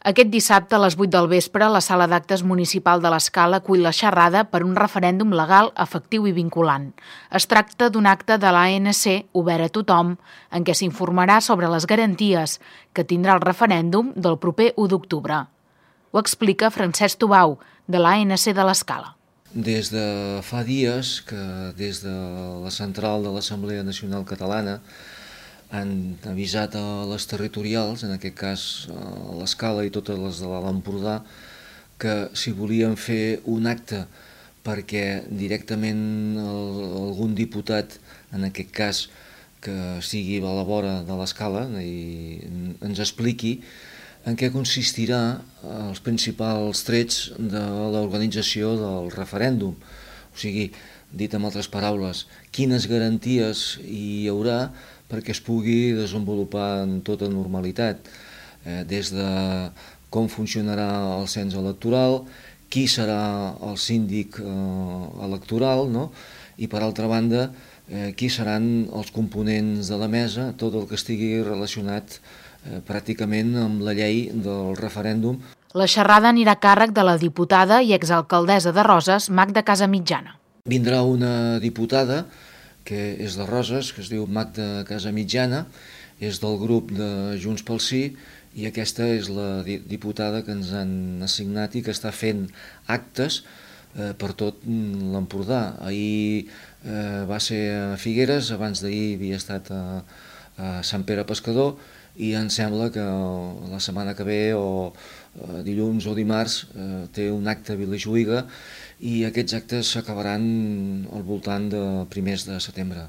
Aquest dissabte a les 8 del vespre, la Sala d'Actes Municipal de l'Escala acull la xerrada per un referèndum legal, efectiu i vinculant. Es tracta d'un acte de l'ANC obert a tothom, en què s'informarà sobre les garanties que tindrà el referèndum del proper 1 d'octubre. Ho explica Francesc Tubau, de l'ANC de l'Escala. Des de fa dies que des de la central de l'Assemblea Nacional Catalana han avisat a les territorials, en aquest cas a l'Escala i totes les de l'Alt Empordà, que si volien fer un acte perquè directament algun diputat, en aquest cas que sigui a la vora de l'Escala, i ens expliqui en què consistirà els principals trets de l'organització del referèndum. O sigui, dit amb altres paraules, quines garanties hi haurà perquè es pugui desenvolupar en tota normalitat, des de com funcionarà el cens electoral, qui serà el síndic electoral, no? I per altra banda, qui seran els components de la mesa, tot el que estigui relacionat pràcticament amb la llei del referèndum. La xerrada anirà a càrrec de la diputada i exalcaldessa de Roses, Magda Casamitjana. Vindrà una diputada que és de Roses, que es diu Magda Casamitjana, és del grup de Junts pel Sí, i aquesta és la diputada que ens han assignat i que està fent actes per tot l'Empordà. Ahir va ser a Figueres, abans d'ahir havia estat a Sant Pere Pescador, i em sembla que la setmana que ve o dilluns o dimarts té un acte a Vilajuïga i aquests actes s'acabaran al voltant de primers de setembre.